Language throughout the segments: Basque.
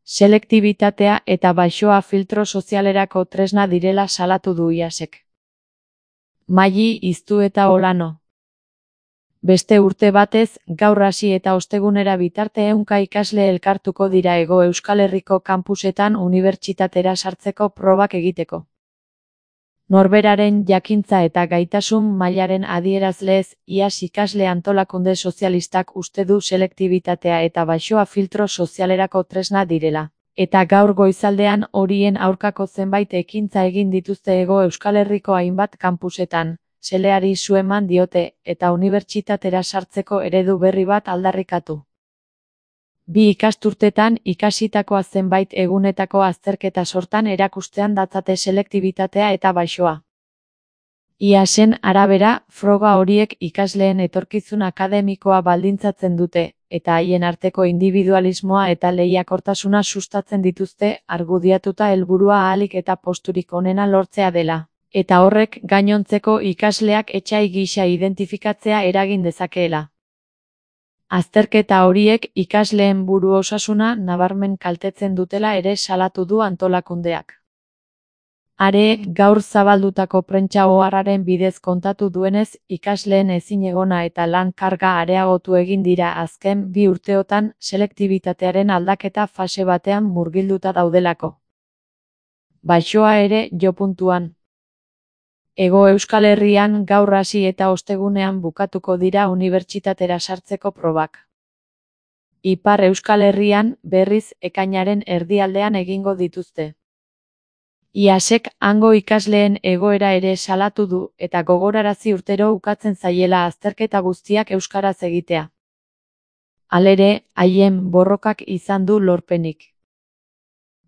Selektibitatea eta baxoa filtro sozialerako tresna direla salatu du IASek. Maili Iztu eta Olano. Beste urte batez, gaur hasi eta ostegunera bitarte 100 ikasle elkartuko dira Hego Euskal Herriko kanpusetan unibertsitatera sartzeko probak egiteko. Norberaren jakintza eta gaitasun mailaren adierazlez, IAS ikasle antolakunde sozialistak uste du selektibitatea eta baxoa filtro sozialerako tresna direla. Eta gaur goizaldean horien aurkako zenbait ekintza egin dituzte Hego Euskal Herriko hainbat kanpusetan, seleari su eman diote, eta unibertsitatera sartzeko eredu berri bat aldarrikatu. 2 ikasturtetan ikasitakoa zenbait egunetako azterketa sortan erakustean datzate selektibitatea eta baxoa. IASen arabera, froga horiek ikasleen etorkizun akademikoa baldintzatzen dute, eta haien arteko individualismoa eta lehiakortasuna sustatzen dituzte, argudiatuta helburua ahalik eta posturik onena lortzea dela, eta horrek gainontzeko ikasleak etsai gisa identifikatzea eragin dezakeela. Azterketa horiek ikasleen buru osasuna nabarmen kaltetzen dutela ere salatu du antolakundeak. Are, gaur zabaldutako prentsa oharraren bidez kontatu duenez, ikasleen ezinegona eta lan karga areagotu egin dira azken 2 urteotan selektibitatearen aldaketa fase batean murgilduta daudelako. Baxoa ere jopuntuan. Hego Euskal Herrian gaur hasi eta ostegunean bukatuko dira unibertsitatera sartzeko probak. Ipar Euskal Herrian, berriz, ekainaren erdialdean egingo dituzte. IASek hango ikasleen egoera ere salatu du eta gogorarazi urtero ukatzen zaiela azterketa guztiak euskaraz egitea. Halere, haien borrokak izan du lorpenik.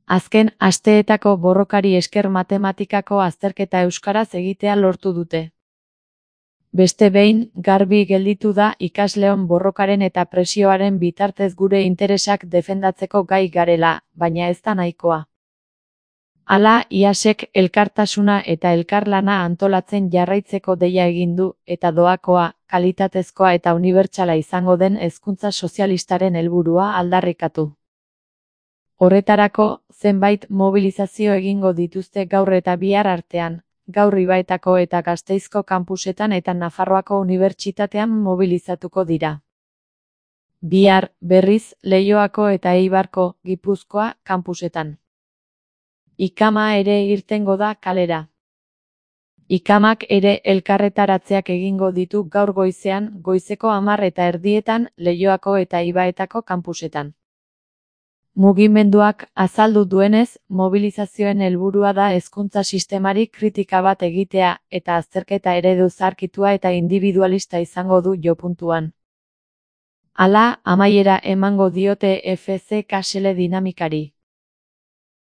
Azken asteetako borrokari esker matematikako azterketa euskaraz egitea lortu dute. Beste behin, garbi gelditu da ikasleon borrokaren eta presioaren bitartez gure interesak defendatzeko gai garela, baina ez da nahikoa. Hala, IASek elkartasuna eta elkarlana antolatzen jarraitzeko deia egin du, eta doakoa, kalitatezkoa eta unibertsala izango den hezkuntza sozialistaren helburua aldarrikatu. Horretarako, zenbait mobilizazio egingo dituzte gaur eta bihar artean, gaur Ibaetako eta Gasteizko kanpusetan eta Nafarroako unibertsitatean mobilizatuko dira. Bihar, berriz, Leioako eta Eibarko, Gipuzkoa, kanpusetan. Ikama ere irtengo da kalera. Ikamak ere elkarretaratzeak egingo ditu gaur goizean, goizeko 10:30 Leioako eta Ibaetako kanpusetan. Mugimenduak azaldu duenez, mobilizazioen helburua da hezkuntza sistemari kritika bat egitea eta azterketa eredu zaharkitua eta individualista izango du jopuntuan. Hala, amaiera emango diote FCK sele dinamikari.